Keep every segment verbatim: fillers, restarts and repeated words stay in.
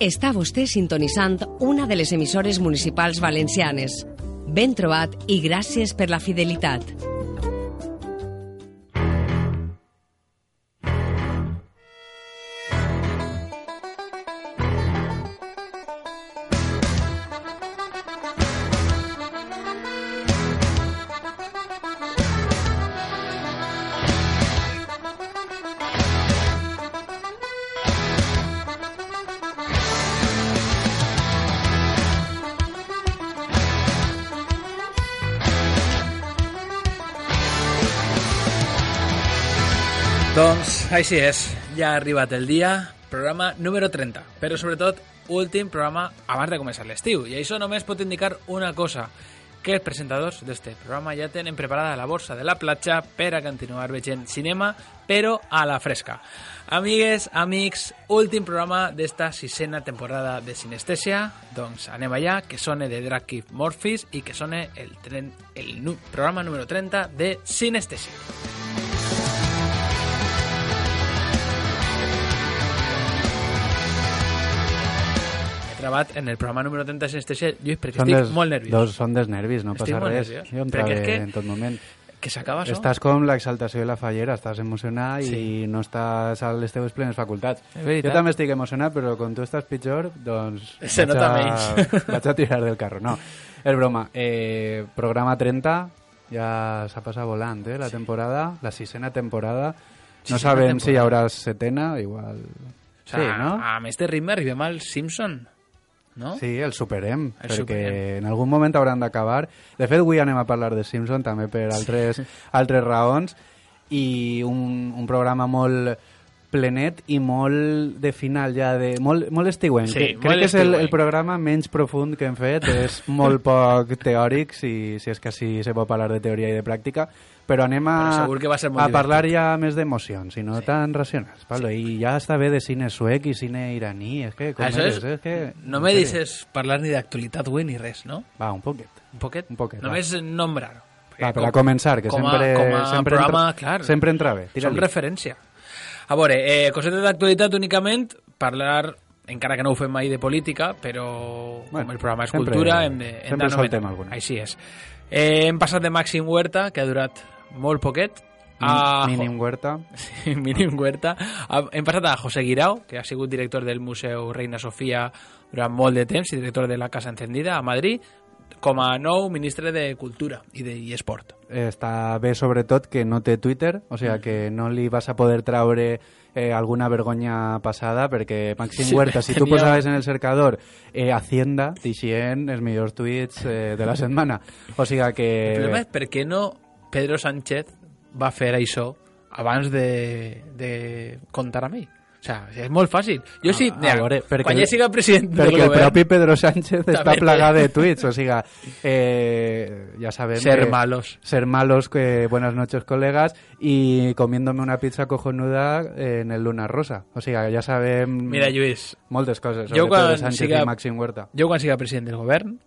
Està vostè sintonitzant una de les emissores municipals valencianes. Ben trobat i gràcies per la fidelitat. Doncs així és, ja ha arribat el dia, programa número trenta, però sobretot últim programa abans de començar l'estiu, i això només pot indicar una cosa, que els presentadors d'este programa ja tenen preparada la borsa de la platja per a continuar veient cinema, però a la fresca. Amigues, amics, últim programa d'esta sisena temporada de Sinestèsia, doncs anem allà, que sone de Drag Keep Morphis i que sone el, tren, el nu, programa número trenta de Sinestèsia. Gravat en el programa número trenta de Sinestèsia, Lluís, perquè són estic des, molt nerviós. Dos, són dels nervis, no estic passa res. Nerviós. Jo entrava que, en tot moment. Que s'acaba això. Estàs com l'exaltació de la fallera, estàs emocionat sí. I no estàs a les teves plenes facultats. Jo també estic emocionat, però quan tu estàs pitjor, doncs... Se nota a, menys. Vaig a tirar del carro. No, és broma. Eh, programa trenta, ja s'ha passat volant, eh, la sí. temporada, la sisena temporada. No sí, sabem temporada. Si hi haurà setena, igual... O sea, sí, no? Amb este ritme arribem al Simpson. No? Sí, el superem, el perquè superem. En algun moment hauran d'acabar. De fet, avui anem a parlar de Simpson també per altres, sí. altres raons, i un, un programa molt plenet i molt de final ja, de, molt, molt estiuent. Sí, que, crec que és el, el programa menys profund que hem fet, és molt poc teòric, si, si és que sí se pot parlar de teoria i de pràctica, però anem a, que va ser a parlar ja més d'emocions i no sí. tan racionals. Pablo. Sí. I ja està bé de cine suec i cine iraní. És que, com Això eres, és, és que, no me dices parlar ni d'actualitat avui ni res, no? Va, un poquet. Un poquet? Un poquet Només va. Nombrar. Va, per a començar, que com a, sempre, com a sempre, programa, entra, clar, sempre entra bé. Som referència. A veure, eh, cosetes d'actualitat únicament, parlar, encara que no ho fem mai de política, però bueno, com el programa és sempre, cultura, hem de... Hem sempre soltem alguna. Així és. Eh, hem passat de Màxim Huerta, que ha durat molt poquet, a... Mínim Huerta. Sí, Mínim Huerta. Hem passat a José Guirao, que ha sigut director del Museu Reina Sofia durant molt de temps i director de la Casa Encendida a Madrid, com a nou ministre de Cultura i de i Esport. Està bé, sobretot, que no té Twitter, o sigui que no li vas a poder traure eh, alguna vergonya passada, perquè Màxim sí, Huerta, si tu tenia... posaves en el cercador eh, Hacienda, t'ixien els millors tuits eh, de la setmana. O sigui que... El problema és per què no Pedro Sánchez va fer això abans de, de comptar amb ell. O sea, és molt fàcil. Jo sí, mira, veure, quan ja siga president del govern... Perquè el propi Pedro Sánchez està plagat de tuits, o sigui, eh, ja sabem... Ser que, malos. Ser malos, que buenas noches, colegas, y comiéndome una pizza cojonuda en el Luna Rosa. O sigui, ja sabem... Mira, Lluís... Moltes coses sobre Pedro Sánchez siga, i Màxim Huerta. Jo quan siga president del govern,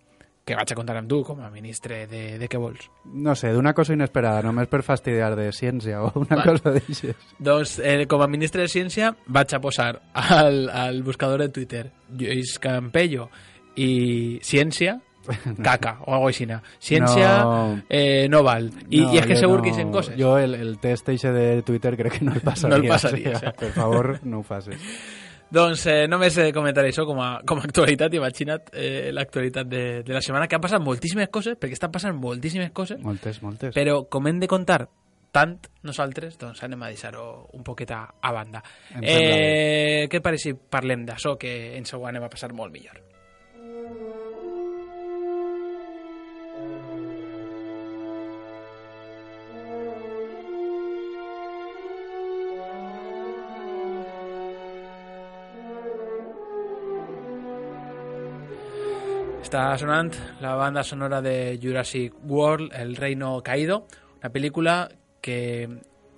que vaig a contar amb tu com a ministre de, de què vols? No sé, d'una cosa inesperada, només per fastidiar de ciència o una vale. Cosa d'això. Doncs, eh, com a ministre de Ciència, vaig a posar al, al buscador de Twitter Lluís Campello i ciència, caca, o algo així. Ciència no, eh, no val. I, no, i és que segur no, que hi coses. Jo el, el test eixe de Twitter crec que no el passaria. No el passaria. O sigui, per favor, no ho facis. Doncs eh, només eh, comentaré això com a, com a actualitat. Imagina't eh, l'actualitat de, de la setmana, que han passat moltíssimes coses, perquè estan passant moltíssimes coses. Moltes, moltes. Però com hem de contar tant nosaltres, doncs anem a deixar-ho un poquet a, a banda. Eh, què et pareix si parlem d'això, que ens ho anem a passar molt millor? Està sonant la banda sonora de Jurassic World, El Reino Caído, una pel·lícula que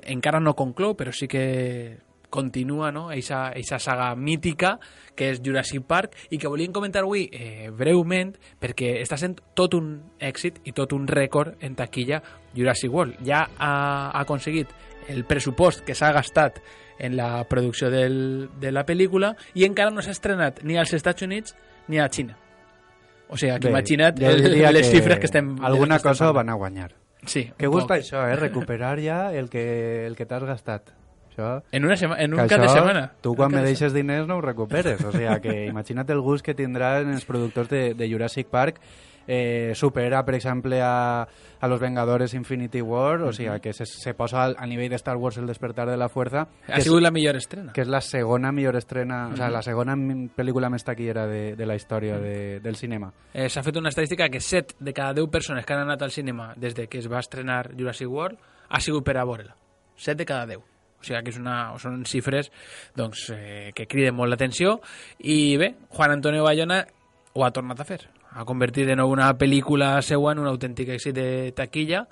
encara no conclou, però sí que continua, no?, eixa, eixa saga mítica que és Jurassic Park, i que volíem comentar avui eh, breument, perquè està sent tot un èxit i tot un rècord en taquilla Jurassic World. Ja ha, ha aconseguit el pressupost que s'ha gastat en la producció del, de la pel·lícula i encara no s'ha estrenat ni als Estats Units ni a Xina. O sigui, que imagina't el, les que xifres que estem... Alguna que estem cosa van a guanyar. Sí. Que gusta això, eh? Recuperar ja el que, el que t'has gastat. Això, en, una sema, en un cap de setmana. Tu quan me deixes diners no ho recuperes. O sigui, que imagina't el gust que tindran els productors de, de Jurassic Park. Eh, supera, per exemple, a, a Los Vengadores Infinity War, o sigui, que se, se posa al, a nivell de Star Wars El despertar de la fuerza. Ha sigut la millor estrena. Que és la segona millor estrena, uh -huh. o sigui, la segona pel·lícula més taquillera de, de la història de, del cinema. Eh, S'ha fet una estadística que set de cada deu persones que han anat al cinema des de que es va estrenar Jurassic World ha sigut per a veure-la. set de cada deu. O sigui que és una, són xifres doncs, eh, que criden molt l'atenció. I bé, Juan Antonio Bayona ho ha tornat a fer. Ha convertit de nou una pel·lícula seua en un autèntic èxit de taquilla.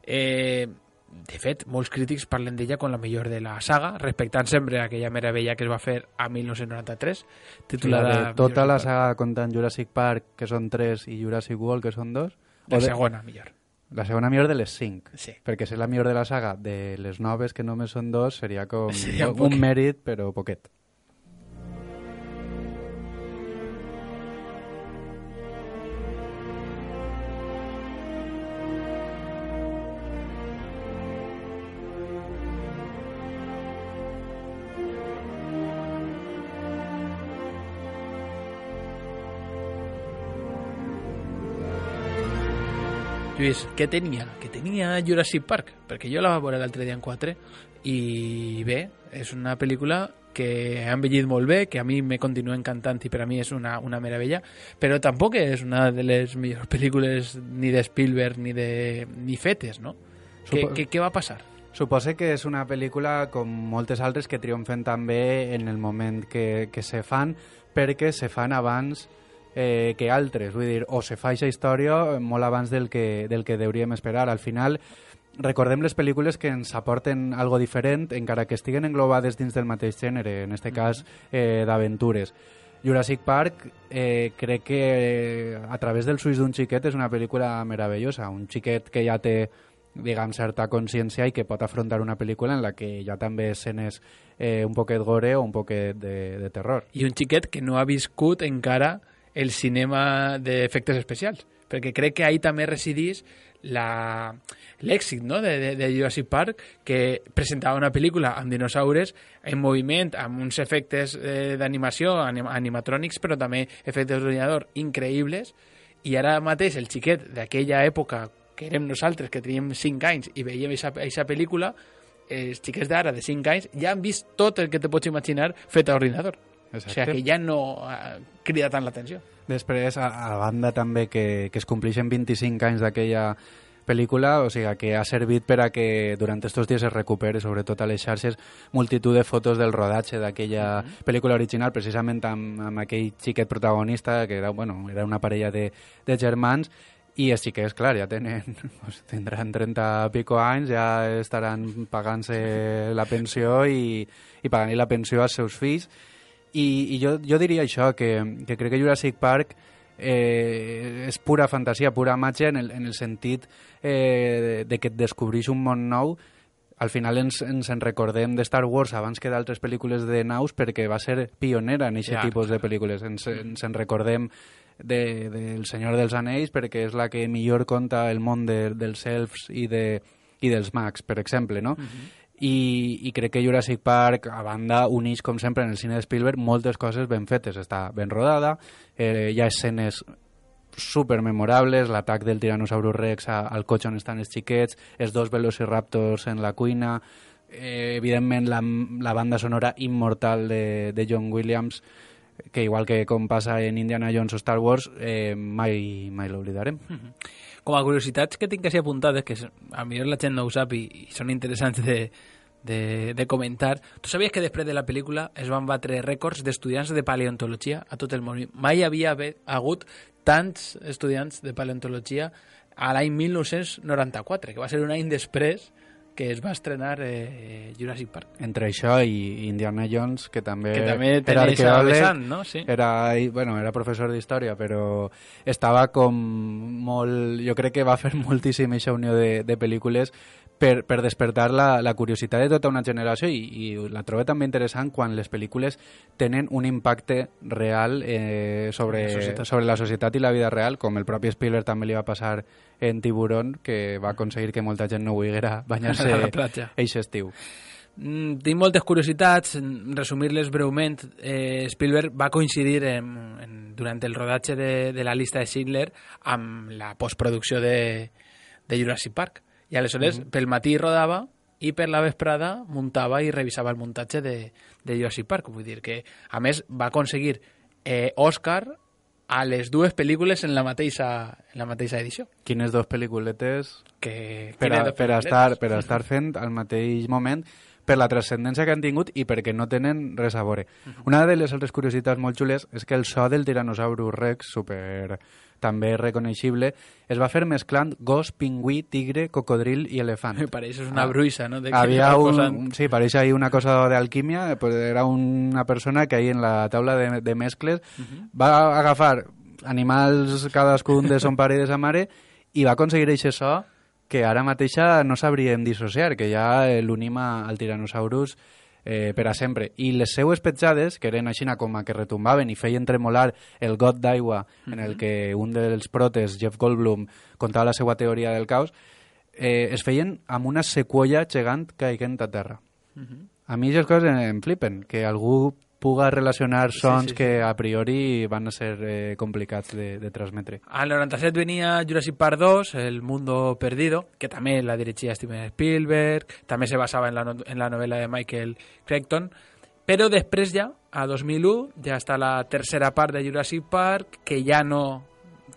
Eh, de fet, molts crítics parlen d'ella com la millor de la saga, respectant sempre aquella meravella que es va fer a mil nou-cents noranta-tres, titulada... De tota la saga comptant Jurassic Park, que són tres, i Jurassic World, que són dos? La de... segona, millor. La segona millor de les cinc. Sí. Perquè si és la millor de la saga de les noves, que només són dos, seria com seria un, un mèrit, però poquet. Lluís, què tenia? Què tenia Jurassic Park? Perquè jo la vaig veure l'altre dia en quatre i bé, és una pel·lícula que ha envellit molt bé, que a mi me continua encantant i per a mi és una, una meravella, però tampoc és una de les millors pel·lícules ni de Spielberg ni de ni fetes, no? Supo... Què, què, què va passar? Suposo que és una pel·lícula com moltes altres que triomfen també en el moment que, que se fan, perquè se fan abans eh, que altres, vull dir, o se fa aquesta història molt abans del que, del que hauríem esperar. Al final, recordem les pel·lícules que ens aporten algo diferent, encara que estiguen englobades dins del mateix gènere, en este cas eh, d'aventures. Jurassic Park eh, crec que eh, a través dels ulls d'un xiquet és una pel·lícula meravellosa, un xiquet que ja té diguem, certa consciència i que pot afrontar una pel·lícula en la que hi ha també escenes eh, un poquet gore o un poquet de, de terror. I un xiquet que no ha viscut encara el cinema d'efectes especials, perquè crec que ahí també residís la... l'èxit, no? de, de, de Jurassic Park, que presentava una pel·lícula amb dinosaures en moviment, amb uns efectes eh, d'animació, anim animatrònics, però també efectes d'ordinador increïbles, i ara mateix el xiquet d'aquella època, que érem nosaltres, que teníem cinc anys i veiem aquesta pel·lícula, els xiquets d'ara de cinc anys ja han vist tot el que te pots imaginar fet a ordinador. Exacte. O sigui que ja no uh, crida tant l'atenció. Després, a, a banda també que, que es compleixen vint-i-cinc anys d'aquella pel·lícula, o sigui que ha servit per a que durant estos dies es recupere, sobretot a les xarxes, multitud de fotos del rodatge d'aquella uh -huh. pel·lícula original, precisament amb, amb aquell xiquet protagonista, que era, bueno, era una parella de, de germans, i els xiquets, clar, ja tenen, pues, tindran trenta pico anys, ja estaran pagant-se la pensió i, i pagant la pensió als seus fills. I, i jo, jo diria això, que, que crec que Jurassic Park eh, és pura fantasia, pura màgia en el, en el sentit eh, de, de que et descobreix un món nou. Al final ens, ens en recordem de Star Wars abans que d'altres pel·lícules de naus perquè va ser pionera en aquest ja, tipus de pel·lícules. Ens, ens en recordem de, de El Senyor dels Anells perquè és la que millor conta el món de, dels elfs i, de, i dels mags, per exemple, no? Uh -huh. I, i crec que Jurassic Park, a banda, uneix, com sempre, en el cine de Spielberg, moltes coses ben fetes. Està ben rodada, eh, hi ha escenes supermemorables, l'atac del Tyrannosaurus Rex a, al cotxe on estan els xiquets, els dos velociraptors en la cuina, eh, evidentment la, la banda sonora immortal de, de John Williams, que igual que com passa en Indiana Jones o Star Wars, eh, mai, mai l'oblidarem. Mm-hmm. Com a curiositats que tinc així apuntades, que a millor la gent no ho sap i, i són interessants de, de, de comentar. Tu sabies que després de la pel·lícula es van batre rècords d'estudiants de paleontologia a tot el món? Mai havia hagut tants estudiants de paleontologia a l'any mil nou-cents noranta-quatre, que va ser un any després que es va estrenar eh, Jurassic Park. Entre això i Indiana Jones, que també, que també era arqueòleg, no? Sí. era, bueno, era professor d'història, però estava com molt... Jo crec que va fer moltíssim aquesta unió de, de pel·lícules per, per despertar la, la curiositat de tota una generació i, i la trobo també interessant quan les pel·lícules tenen un impacte real eh, sobre, la sobre la societat i la vida real, com el propi Spielberg també li va passar en Tiburón, que va aconseguir que molta gent no volguera banyar-se eixe estiu. Mm, tinc moltes curiositats, resumir-les breument. eh, Spielberg va coincidir en, en, durant el rodatge de, de la llista de Schindler amb la postproducció de, de Jurassic Park. I aleshores, mm-hmm. pel matí rodava i per la vesprada muntava i revisava el muntatge de, de Jurassic Park. Vull dir que, a més, va aconseguir eh, Òscar a les dues pel·lícules en la mateixa, en la mateixa edició. Quines dues pel·lículetes que, per, a, per, a estar, per a estar fent al mateix moment, per la transcendència que han tingut i perquè no tenen res a veure. Uh-huh. Una de les altres curiositats molt xules és que el so del Tyrannosaurus Rex, super també reconeixible, es va fer mesclant gos, pingüí, tigre, cocodril i elefant. Me pareix una bruixa, no? De Havia un, un, sí, pareix ahí una cosa d'alquímia, pues era una persona que ahí en la taula de, de mescles uh-huh. va agafar animals cadascun de son pare i de sa mare i va aconseguir aquest so que ara mateixa no sabríem dissociar, que ja l'unim al Tyrannosaurus eh, per a sempre. I les seues petjades, que eren així com a que retombaven i feien tremolar el got d'aigua mm-hmm. en el que un dels protes, Jeff Goldblum, contava la seva teoria del caos, eh, es feien amb una sequoia gegant caiguent a terra. Mm-hmm. A mi aquestes coses em flipen, que algú puga relacionar sons sí, sí, sí. que a priori van a ser eh, complicats de, de transmetre. Al noranta-set venia Jurassic Park dos, El mundo perdido, que també la dirigia Steven Spielberg, també se basava en la, no, en la novel·la de Michael Crichton, però després ja, a dos mil u, ja està la tercera part de Jurassic Park, que ja no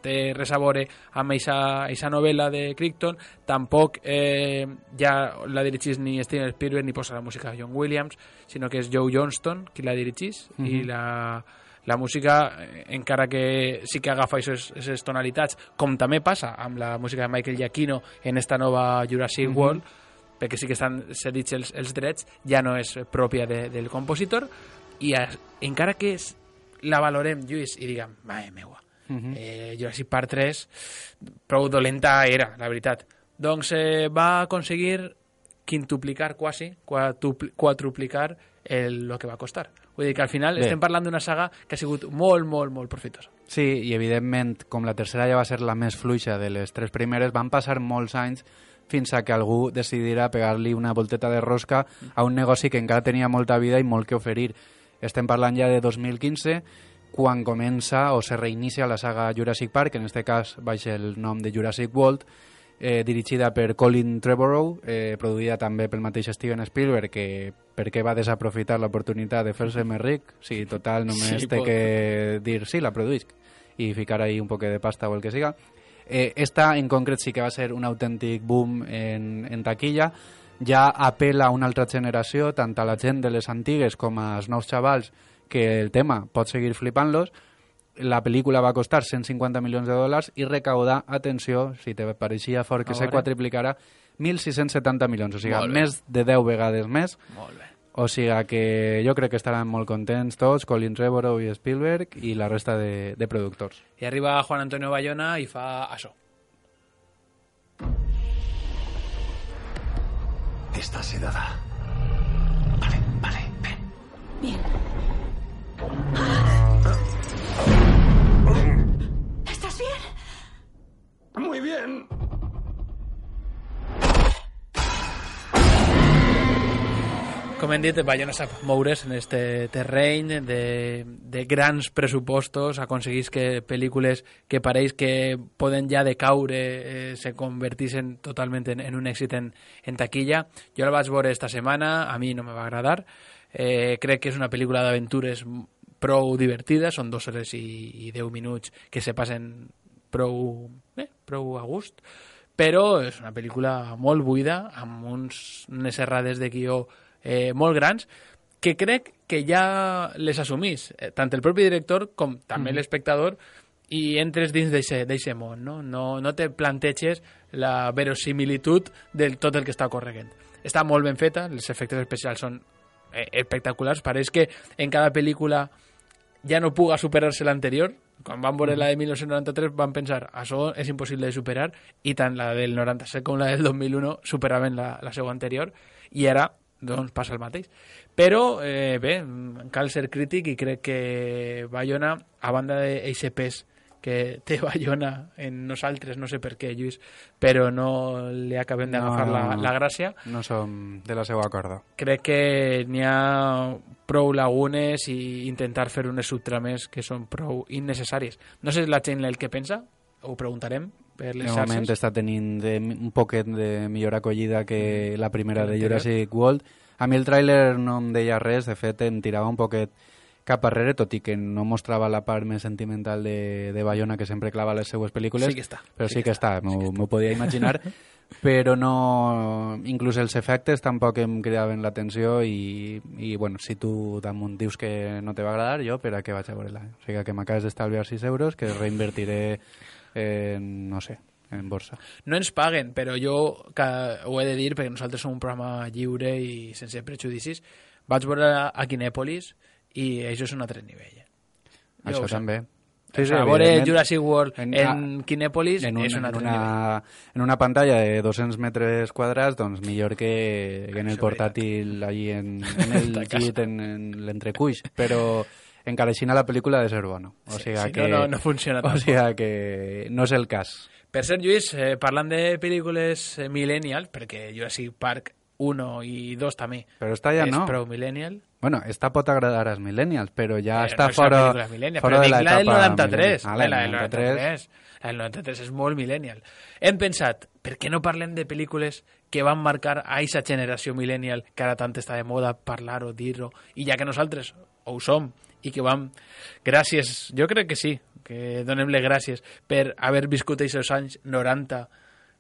té res a veure amb aquesta novel·la de Crichton, tampoc eh, ja la dirigís ni Steven Spielberg ni posa la música de John Williams, sinó que és Joe Johnston qui la dirigís, mm-hmm. i la, la música, encara que sí que agafa aquestes tonalitats, com també passa amb la música de Michael Giacchino en esta nova Jurassic mm-hmm. World, perquè sí que estan cedits els, els drets, ja no és pròpia de, del compositor, i a, encara que és, la valorem, Lluís, i diguem, mare meua, Uh-huh. eh, Jurassic Park tres prou dolenta era, la veritat, doncs eh, va aconseguir quintuplicar quasi, quadruplicar el, el que va costar. Vull dir que al final Bé. estem parlant d'una saga que ha sigut molt, molt, molt profitosa. Sí, i evidentment, com la tercera ja va ser la més fluixa de les tres primeres, van passar molts anys fins a que algú decidirà pegar-li una volteta de rosca a un negoci que encara tenia molta vida i molt que oferir. Estem parlant ja de dos mil quinze, quan comença o se reinicia la saga Jurassic Park, en este cas baix el nom de Jurassic World, eh, dirigida per Colin Trevorrow, eh, produïda també pel mateix Steven Spielberg, que perquè va desaprofitar l'oportunitat de fer-se més ric, sí, total, només sí, té pot. que dir sí, la produïsc, i ficar ahí un poc de pasta o el que siga. Eh, esta en concret sí que va ser un autèntic boom en, en taquilla, ja apela a una altra generació, tant a la gent de les antigues com als nous xavals, que el tema pot seguir flipant-los. La pel·lícula va costar cent cinquanta milions de dòlars i recaudar, atenció, si te pareixia fort que se quadriplicarà, mil sis-cents setanta milions, o sigui, més de deu vegades més. Molt bé. O sigui que jo crec que estaran molt contents tots, Colin Trevorrow i Spielberg i la resta de, de productors. I arriba Juan Antonio Bayona i fa això. Estás sedada. Vale, vale, ven. Bien. ¿Estás bien? Muy bien. Com hem dit, Bayona sap moure's en este terreny de, de grans pressupostos, aconseguís que pel·lícules que pareix que poden ja decaure eh, se convertissin totalment en, en un èxit en, en taquilla. Jo la vaig veure esta setmana, a mi no me va agradar. Eh, crec que és una pel·lícula d'aventures prou divertida, són dues hores i, i deu minuts que se passen prou, eh, prou a gust, però és una pel·lícula molt buida, amb uns, unes errades de guió eh, molt grans, que crec que ja les assumís, eh, tant el propi director com també mm. l'espectador, i entres dins d'aquest món, no? No, no te planteges la verosimilitud de tot el que està ocorrent. Està molt ben feta, els efectes especials són eh, espectaculars, pareix que en cada pel·lícula ja no puga superar-se l'anterior. Quan van veure la de mil nou-cents noranta-tres van pensar, això és impossible de superar, i tant la del noranta-set com la del dos mil un superaven la, la seva anterior, i ara doncs passa el mateix. Però, eh, bé, cal ser crític i crec que Bayona, a banda d'eixe pes que té Bayona en nosaltres, no sé per què, Lluís, però no li acabem d'agafar no, la, la gràcia. No som de la seva corda. Crec que n'hi ha prou lagunes i intentar fer unes subtrames que són prou innecessàries. No sé la gent el que pensa, ho preguntarem per les xarxes. De moment està tenint de, un poquet de millor acollida que la primera de Jurassic World. A mi el tràiler no em deia res, de fet em tirava un poquet cap arrere, tot i que no mostrava la part més sentimental de, de Bayona que sempre clava les seues pel·lícules. Sí que està. Però sí, sí que, que està, m'ho sí podia imaginar. Però no... Inclús els efectes tampoc em cridaven l'atenció i, i bueno, si tu damunt dius que no te va agradar, jo per a què vaig a veure-la? O sigui que m'acabes d'estalviar sis euros que reinvertiré en, no sé, en borsa. No ens paguen, però jo que ho he de dir perquè nosaltres som un programa lliure i sense prejudicis. Vaig veure a Kinèpolis i això és un altre nivell. Eh? Això també. Sí, sí, a veure Jurassic World en, en Kinèpolis en un, és un altre en una, nivell. En una pantalla de dos-cents metres quadrats, doncs millor que, que en el portàtil allí en, en el llit, en, en l'entrecuix. Però encara així la pel·lícula ha de ser bona. O sigui sí, sí, que, no, no, no funciona o sigui que no és el cas. Per cert, Lluís, eh, parlant de pel·lícules eh, millennial, perquè Jurassic Park uno i dos també però està ja és no. prou millennial. Bueno, esta pot agradar als millennials, però ja però està no fora, fora de l'etapa... La del noranta-tres. Ah, la del noranta-tres. La del noranta-tres és molt millennial. Hem pensat, per què no parlem de pel·lícules que van marcar a aquesta generació millennial que ara tant està de moda parlar-ho, dir-ho, i ja que nosaltres ho som i que vam... Gràcies, jo crec que sí, que donem-le gràcies per haver viscut aquests anys noranta,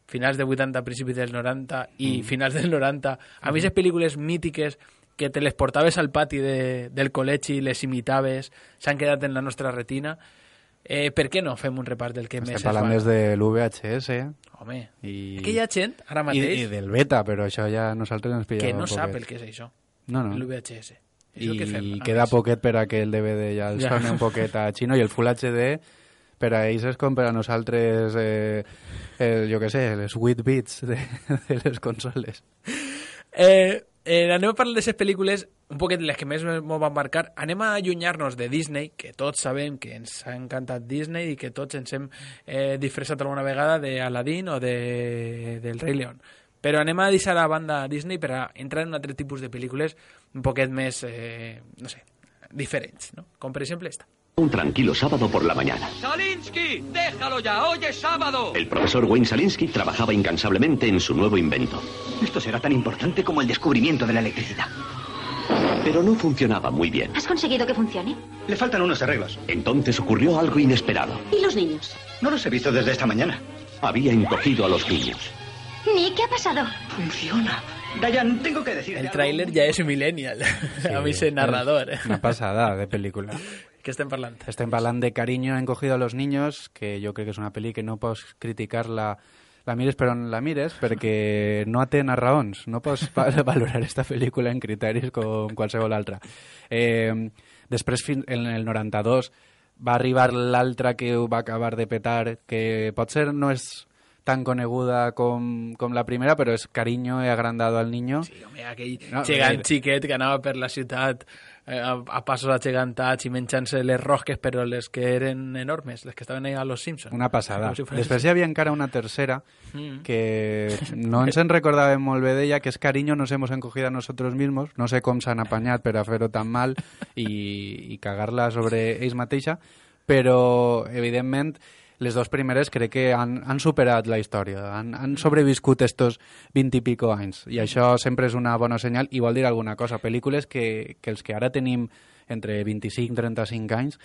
finals de vuitanta, principis del noranta i mm. finals del noranta. A mi, aquestes pel·lícules mítiques que te les portaves al pati de, del col·legi i les imitaves, s'han quedat en la nostra retina. Eh, per què no fem un repàs del que Estem més es parlant va? més de l'U V H S. Home, I... que hi ha gent, ara mateix... I, I del beta, però això ja nosaltres ens pillava que no un sap poquet. el que és això, no, no. l'U V H S. I que fem, queda més. poquet per a que el D V D ja el Ja. soni un poquet a xino, i el Full H D per a ells és com per a nosaltres eh, el, jo què sé, les vuit bits de, de les consoles. Eh, eh, anem a parlar d'aquestes pel·lícules un poquet les que més m'ho van marcar. Anem a allunyar-nos de Disney, que tots sabem que ens ha encantat Disney i que tots ens hem eh, disfressat alguna vegada d'Aladín o de, del Rei León. Però anem a deixar a banda Disney per a entrar en un altre tipus de pel·lícules un poquet més, eh, no sé, diferents, ¿no? Com per exemple esta. Un tranquilo sábado por la mañana. ¡Salinsky! ¡Déjalo ya! ¡Hoy es sábado! El profesor Wayne Salinsky trabajaba incansablemente en su nuevo invento. Esto será tan importante como el descubrimiento de la electricidad. Pero no funcionaba muy bien. ¿Has conseguido que funcione? Le faltan unos arreglos. Entonces ocurrió algo inesperado. ¿Y los niños? No los he visto desde esta mañana. Había encogido a los niños. Nick, ¿qué ha pasado? Funciona. Dayan, tengo que decir. El tráiler ja és millennial. Sí, a mi és narrador. Eh? Una passada de pel·lícula. Què estem parlant? Estem parlant de Cariño encogido a los niños, que jo crec que és una pel·li que no pots criticar-la, la mires per on la mires, perquè no té raons. No pots valorar aquesta pel·lícula en criteris com qualsevol altra. Eh, després, en el noranta-dos, va arribar l'altra que ho va acabar de petar, que potser no és tan coneguda com, com la primera, però és Cariño he agrandado al niño. Sí, home, aquell no, gegant eh, xiquet que anava per la ciutat eh, a, a passos agegantats i menjant-se les rosques, però les que eren enormes, les que estaven ahí a Los Simpsons. Una passada. Si Després hi havia encara una tercera mm. que no ens en recordàvem molt bé d'ella, que és Cariño nos hemos encogido a nosotros mismos. No sé com s'han apanyat per a fer-ho tan mal i, i cagar-la sobre ells mateixa, però, evidentment, les dues primeres crec que han, han superat la història, han, han sobreviscut estos vint i pico anys, i això sempre és una bona senyal, i vol dir alguna cosa. Pel·lícules que, que els que ara tenim entre vint-i-cinc i trenta-cinc anys,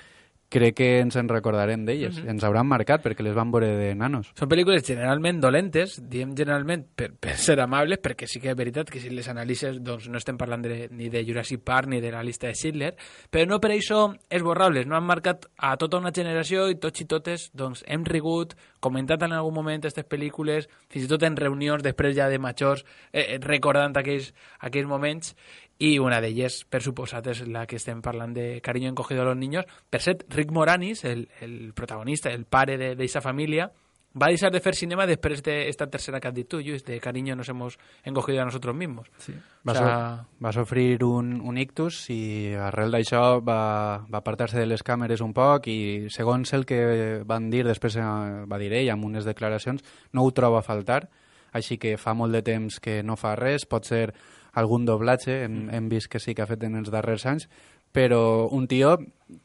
crec que ens en recordarem d'elles. Uh -huh. Ens hauran marcat perquè les van veure de nanos. Són pel·lícules generalment dolentes, diem generalment per, per ser amables, perquè sí que és veritat que si les analitzes doncs no estem parlant de, ni de Jurassic Park ni de la llista de Schindler, però no per això esborrables, no han marcat a tota una generació i tots i totes doncs, hem rigut, comentat en algun moment aquestes pel·lícules, fins i tot en reunions després ja de majors, eh, recordant aquells, aquells moments. I una d'elles, per suposat, és la que estem parlant de Cariño encogido a los niños. Per cert, Rick Moranis, el, el protagonista, el pare d'aquesta família, va deixar de fer cinema després d'esta tercera que has dit tu, Lluís, de Cariño nos hemos encogido a nosotros mismos. Sí. Va, o sea, so, va sofrir un, un ictus i arrel d'això va, va apartar-se de les càmeres un poc i, segons el que van dir, després va dir ell amb unes declaracions, no ho troba a faltar, així que fa molt de temps que no fa res, pot ser algun doblatge, hem, hem vist que sí que ha fet en els darrers anys, però un tio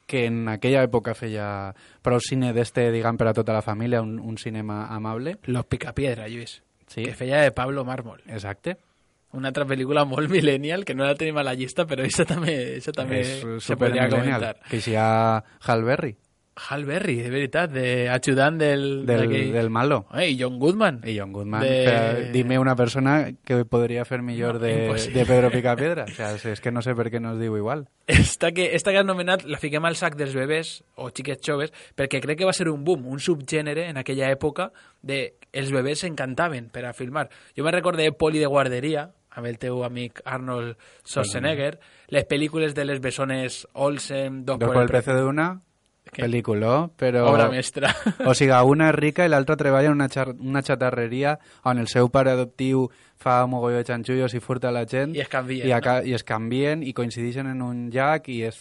que en aquella època feia prou cine d'este, diguem, per a tota la família, un, un cinema amable. Los Picapiedra, Lluís, sí. Que feia de Pablo Mármol. Exacte. Una altra pel·lícula molt millennial, que no la tenim a la llista, però això també, això també se podria comentar. Que hi ha Hal Berry. Hal Berry, de veritat, de ajudant del... Del, del malo. Eh, I John Goodman. I John Goodman. De... Dime una persona que podria fer millor no, de, de Pedro Picapiedra. O sea, és que no sé per què no es diu igual. Esta que, esta que has nomenat la fiquem al sac dels bebès o xiquets joves perquè crec que va ser un boom, un subgènere en aquella època de els bebès s'encantaven per a filmar. Jo me recordé Poli de guarderia, amb el teu amic Arnold Schwarzenegger, les pel·lícules de les bessones Olsen, Dos, Dos por el precio de una... Pel·lícula, però... Obra mestra. O sigui, una és rica i l'altra treballa en una, xar... una xatarreria on el seu pare adoptiu fa un mogolló de xanxullos i furta la gent. I es canvien, i, no? I es canvien i coincideixen en un llac i és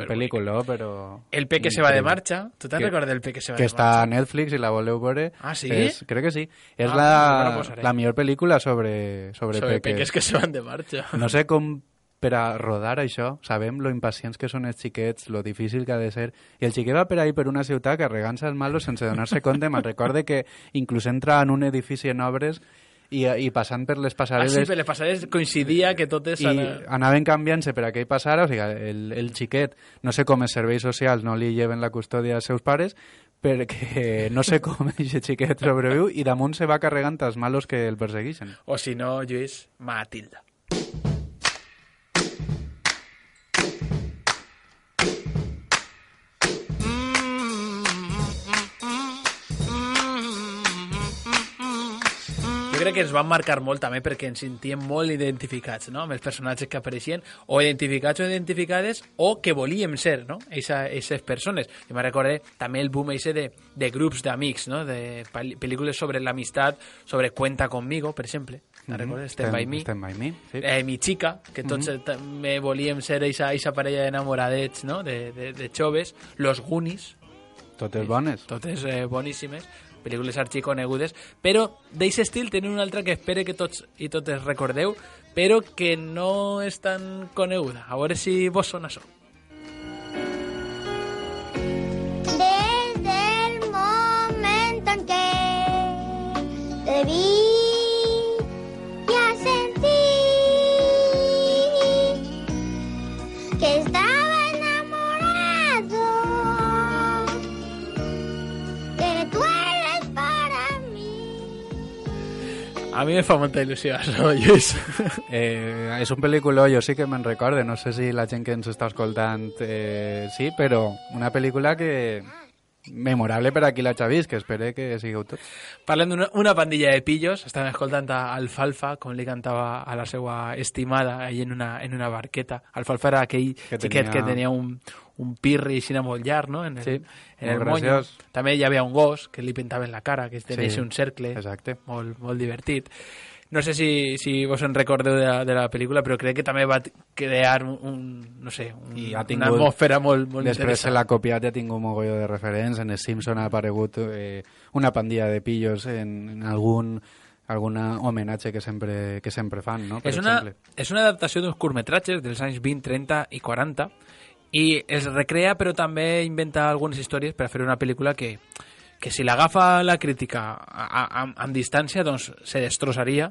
pel·lícula, però... El Peque se va de marxa. Tu te'n recordes del Peque se va que de marxa? Que està a Netflix i la voleu veure. Ah, sí? És, crec que sí. És ah, la, la millor pel·lícula sobre, sobre, sobre peques. peques que se van de marxa. No sé com... per a rodar això, sabem lo impacients que són els xiquets, lo difícil que ha de ser, i el xiquet va per ahí per una ciutat carregant-se els malos sense donar-se compte. Me'n recorde que inclús entra en un edifici en obres i, i passant per les passarel·les... Ah, sí, per les passarel·les coincidia que totes... I ana... anaven canviant-se per a què hi passara, o sigui, el, el xiquet, no sé com els serveis socials no li lleven la custòdia als seus pares, perquè no sé com aquest xiquet sobreviu i damunt se va carregant els malos que el persegueixen. O si no, Lluís, Matilda. Crec que ens van marcar molt també perquè ens sentíem molt identificats, no?, amb els personatges que apareixien, o identificats o identificades, o que volíem ser, no?, aquestes persones. Jo me recordé també el boom ese de, de grups d'amics, no?, de pel·lícules sobre l'amistat, sobre Cuenta conmigo, per exemple. Te'n recordes? Stand by me. Stand by me, sí. Eh, Mi chica, que tots mm -hmm. també volíem ser aquesta parella d'enamoradets, no?, de, de, de joves. Los Goonies. Totes bones. Totes eh, boníssimes. Pel·lícules arxiconegudes, però d'aquest estil tenen una altra que espero que tots i totes recordeu, però que no és tan coneguda. A veure si vos sona això. Desde el momento en que te vi ya sentí que estaba enamorado, que tú eres para mí. A mi me fa molta il·lusió això, Lluís. Eh, és un pel·lícula, jo sí que me'n recorde, no sé si la gent que ens està escoltant eh, sí, però una pel·lícula que memorable per a qui l'ha vist, que espero que sigueu tots. Parlem d'una una pandilla de pillos, estan escoltant a Alfalfa, com li cantava a la seva estimada ahí en una, en una barqueta. Alfalfa era aquell que xiquet tenia... que tenia un, un pirri així molt llarg, no?, en el, sí, en el moño. També hi havia un gos que li pintava en la cara, que tenia sí, un cercle, exacte, molt, molt divertit. No sé si, si vos en recordeu de la, de la pel·lícula, però crec que també va crear un, un no sé, un, tingut, una atmosfera molt, molt després interessant. se l'ha copiat i ha tingut un mogolló de referents. En els Simpson ha aparegut eh, una pandilla de pillos en, en algun alguna homenatge que sempre, que sempre fan, no? Per és, una, exemple. és una adaptació d'uns curtmetratges dels anys vint, trenta i quaranta i es recrea, però també inventa algunes històries per a fer una pel·lícula que que si l'agafa la crítica amb distància, doncs se destrossaria,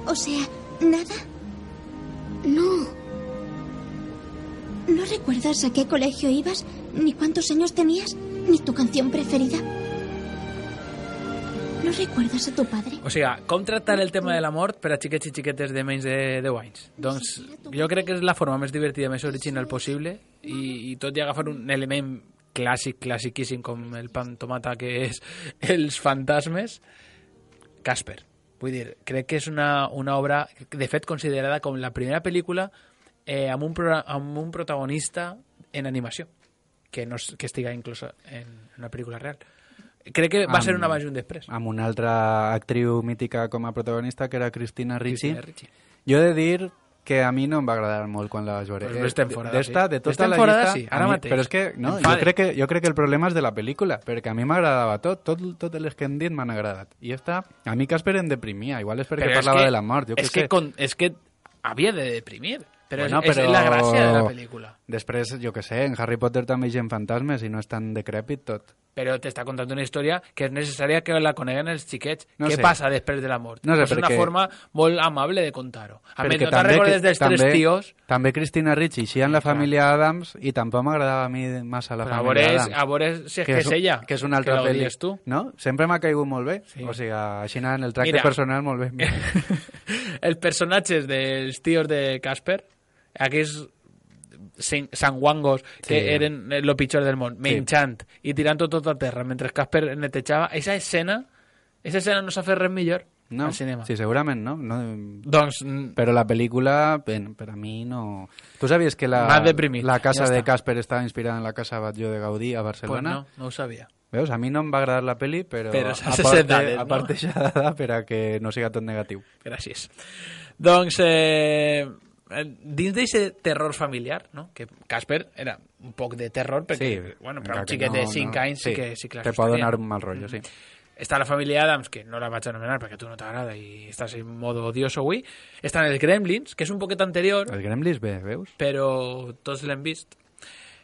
O sea, ¿nada? No. ¿No recuerdas a qué colegio ibas? ¿Ni cuántos años tenías? ¿Ni tu canción preferida? ¿No recuerdes a tu padre? O sigui, com tractar el tema de la mort per a xiquets i xiquetes de menys de deu anys? Doncs jo crec que és la forma més divertida, més original possible, i, i tot i agafar un element clàssic, classiquíssim, com el pan tomata, que és els fantasmes, Casper. Vull dir, crec que és una, una obra, de fet, considerada com la primera pel·lícula eh, amb, un pro, amb un protagonista en animació, que no que estiga inclosa en una pel·lícula real. Crec que va amb, ser un abans i un després. Amb una altra actriu mítica com a protagonista, que era Christina Ricci. Christina Ricci. Jo he de dir que a mi no em va agradar molt quan la vaig veure. Pues no estem fora d'esta, sí. de tota la llista, sí, ara mi, mateix. Però és que, no, jo crec que, jo crec que el problema és de la pel·lícula, perquè a mi m'agradava tot, tot, totes les que hem dit m'han agradat. I esta, a mi Casper em deprimia, igual és perquè però parlava és que, de la mort, jo és què que sé. Con, és que havia de deprimir, però, bueno, és, però és la gràcia de la pel·lícula. Després, jo què sé, en Harry Potter també hi ha fantasmes i no és tan decrèpit tot. Però t'està contant una història que és necessària que la coneguen els xiquets. No Què sé. passa després de la mort? No sé, és una perquè... forma molt amable de contar-ho. A més, Perquè no te'n recordes dels també, tres tios... També Christina Ricci, així en la família Adams, i tampoc m'agradava a mi massa la Però família a veure, Adams. a veure si és que, que és ella. Que és una altra que pel·li. tu. No? Sempre m'ha caigut molt bé. Sí. O sigui, així en el tracte Mira, personal molt bé. Els personatges dels tios de Casper, aquells sanguangos que Sí. eren el pitjor del món, menjant i tirant tot a terra mentre Casper netejava, aquesta escena, aquesta escena no s'ha fet res millor No, al cinema. sí, segurament no. no. Doncs... Però la pel·lícula, ben, per a mi no... Tu sabies que la, M'ha deprimit, la casa ja de està. Casper estava inspirada en la casa Batlló de Gaudí a Pues Barcelona? no, no ho sabia. Veus? A mi no em va agradar la pel·li, però, Però s'ha aparte, acceptat, no? aparte ja dada per a que no siga tot negatiu. Gràcies. Doncs, eh, dins d'aquest terror familiar, no? Que Casper era un poc de terror, perquè, Sí, bueno, per un encara que xiquet no, de cinc no. anys sí, Sí, que, sí que te pot donar un mal rotllo, sí. Està la família Adams, que no la vaig anomenar perquè a tu no t'agrada i estàs en modo odioso avui. Estan els Gremlins, que és un poquet anterior, Els Gremlins bé, veus? però tots l'hem vist.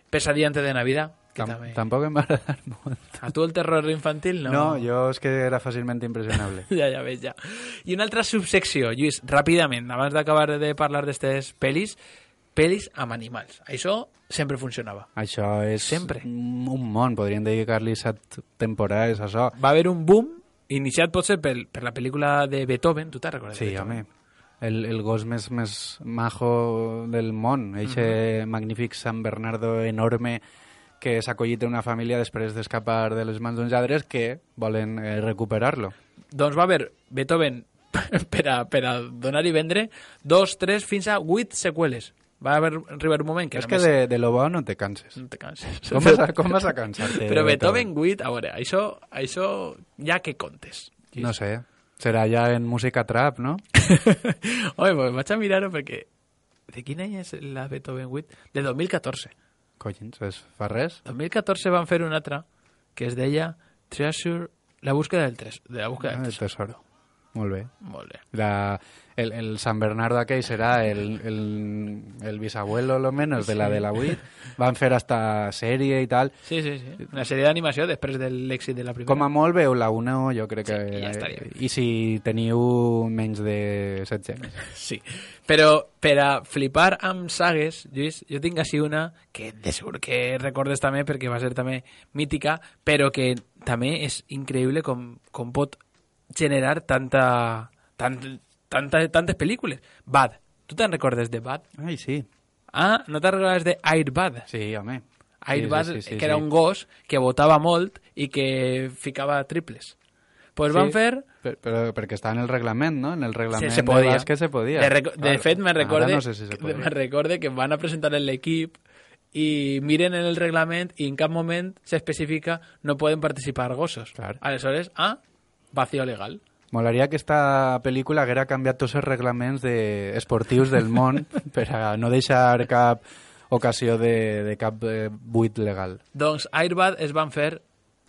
Pesadilla antes de Navidad, que Tam també... Tampoc em va agradar molt. A tu el terror infantil no... No, jo és que era fàcilment impressionable. Ja, ja veig, ja. I una altra subsecció, Lluís, ràpidament, abans d'acabar de parlar d'estes pel·lis, pel·lis amb animals. Això sempre funcionava. Això és Sempre. un món, podríem dedicar-li set temporades a això. Va haver un boom, iniciat potser per, per la pel·lícula de Beethoven, tu te'n recordes? Sí, de home. El, el gos més, més majo del món, eixe uh -huh. magnífic San Bernardo enorme que s'ha acollit una família després d'escapar de les mans d'uns lladres que volen eh, recuperar-lo. Doncs va haver Beethoven per a, per a donar i vendre dos, tres, fins a vuit seqüeles. Va haver, arribar un moment que és només... que de, de lo bo no te canses. No te canses. Com vas a, com vas a cansar-te? Però Beethoven vuit, a veure, això, això ja que contes. No sé, serà ja en música trap, no? Home, pues vaig a mirar-ho perquè... De quin any és la Beethoven vuit? De dos mil catorze. Collins, és, fa res? dos mil catorze van fer una altra que es deia Treasure... La búsqueda del tres. De la búsqueda Ah, del el tesoro. tesoro. Molt bé. Molt bé. La, el, el San Bernardo aquell serà el, el, el bisabuelo, lo menos, de la de la vuit. Van fer hasta sèrie i tal. Sí, sí, sí. Una sèrie d'animació després de l'èxit de la primera. Com a molt veu la una, jo crec que... Sí, ja estaria bé. I si teniu menys de setze anys. Sí. Però per a flipar amb sagues, Lluís, jo tinc així una que de segur que recordes també perquè va ser també mítica, però que també és increïble com, com pot generar tanta, tant, tanta, tantes pel·lícules. Bad. Tu te'n recordes de Bad? Ai, sí. Ah, no te'n recordes de Air Bad? Sí, home. Air Bad, sí, sí, sí, sí, que era sí. un gos que botava molt i que ficava triples. Pues Sí, van fer... per- però perquè està en el reglament, no? En el reglament se podia. de bàsquet se podia. De, reco- de Ara- fet, me recorde, ara no sé si se podia. me recorde que van a presentar en l'equip i miren en el reglament i en cap moment s'especifica no poden participar gossos. Clar. Aleshores, ah, vacío legal. Molaria que esta pel·lícula haguera canviat tots els reglaments de esportius del món per a no deixar cap ocasió de, de cap eh, buit legal. Doncs Airbad es van fer,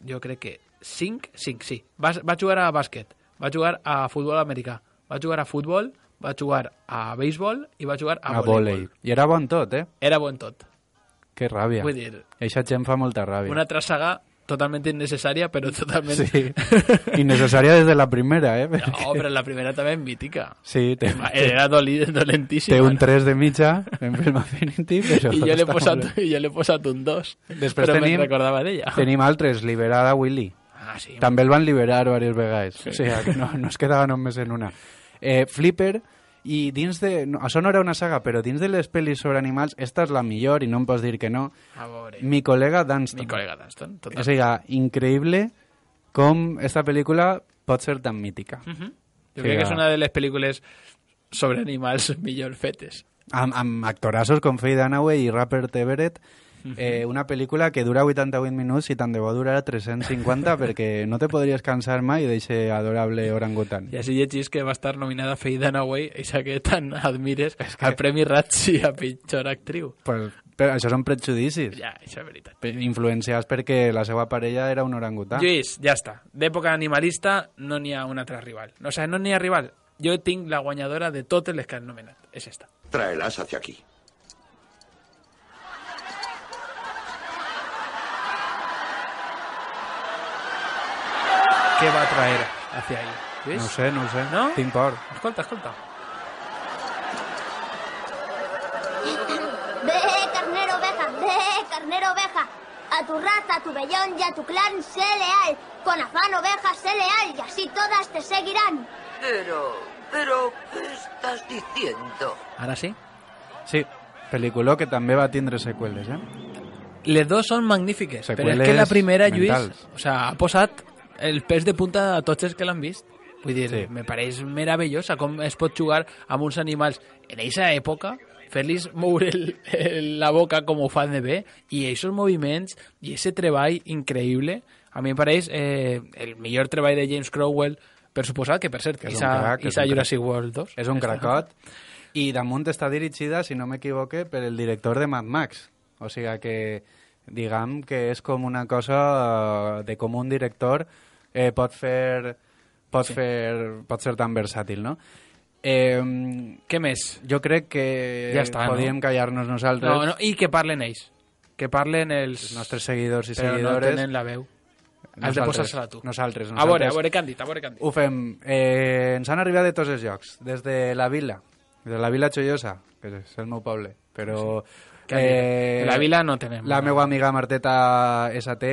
jo crec que cinc, cinc, sí. Va, va jugar a bàsquet, va jugar a futbol americà, va jugar a futbol, va jugar a béisbol i va jugar a, A vòlei. I era bon tot, eh? Era bon tot. Que ràbia. Vull dir, Eixa gent fa molta ràbia. una altra saga totalmente innecessària, però totalment... Sí, innecessària des de la primera, eh? No, però la primera també és mítica. Sí, té, era doli, dolentíssima. té un tres de mitja en Film Affinity, però... I jo l'he està posat, molt bé. i jo l'he posat un dos, Després però tenim, me'n recordava d'ella. Tenim altres, Liberada Willy. Ah, sí. També el van liberar diverses vegades. Sí. O sigui, que no, no es quedava només en una. Eh, Flipper, i dins de... No, això no era una saga, però dins de les pel·lis sobre animals, esta és la millor, i no em pots dir que no. A veure. Mi col·lega Dunston. Mi col·lega Dunston, total. O sigui, increïble com esta pel·lícula pot ser tan mítica. Uh -huh. Jo O crec sigui, que és una de les pel·lícules sobre animals millor fetes. Amb, amb actorazos com Faye Dunaway i Rupert Everett, eh, una pel·lícula que dura vuitanta-vuit minuts i tant de bo durarà tres-cents cinquanta perquè no te podries cansar mai d'eixe adorable orangutan. I així llegís que va estar nominada Faye Dunaway, eixa que tant admires, es que... al Premi Razzie a pitjor actriu. Pues, però això són prejudicis. Ja, això és veritat. Influenciats perquè la seva parella era un orangutan. Lluís, ja està. D'època animalista no n'hi ha un altre rival. No, o sigui, no n'hi ha rival. Jo tinc la guanyadora de totes les que han nomenat. És esta. Tráelas hacia aquí. Què va traer hacia ahí? Lluís? No ho sé, no ho sé. No? Tinc por. Escolta, escolta. Ve, carnero oveja, ve, carnero oveja. A tu raza, a tu vellón y a tu clan sé leal. Con afán oveja sé leal y así todas te seguirán. Pero, pero, ¿qué estás diciendo? Ara sí? Sí, pel·lícula que també va tindre seqüeles, eh? Les dos són magnífiques, Seqüeles però és que la primera, Lluís, mentals. o sea, ha posat el pes de punta a tots els que l'han vist. Vull dir, Sí. me pareix meravellosa com es pot jugar amb uns animals en aquesta època, fer-los moure el, el, la boca com ho fan de bé, i aquests moviments i aquest treball increïble, a mi em pareix eh, el millor treball de James Cromwell, per suposat, que per cert, És un Isa, crac, és Isa un Jurassic World dos. És un cracot. I damunt està dirigida, si no m'equivoque, per el director de Mad Max. O sigui que, diguem que és com una cosa de com un director eh, pot fer... Pot, Sí. fer, pot ser tan versàtil, no? Eh, Què més? jo crec que Ja està, no? podíem callar-nos nosaltres, No, no, i que parlen ells. Que parlen els... els nostres seguidors i però no seguidores. tenen la veu. Has de posar-se-la tu. Nosaltres, A nosaltres. veure, a veure què han dit, a veure què han dit. Ho fem. Eh, ens han arribat de tots els llocs. Des de la vila, de la vila Xollosa, que és el meu poble, però... Què han dit? De la vila no tenem. La no. meva amiga Marteta S T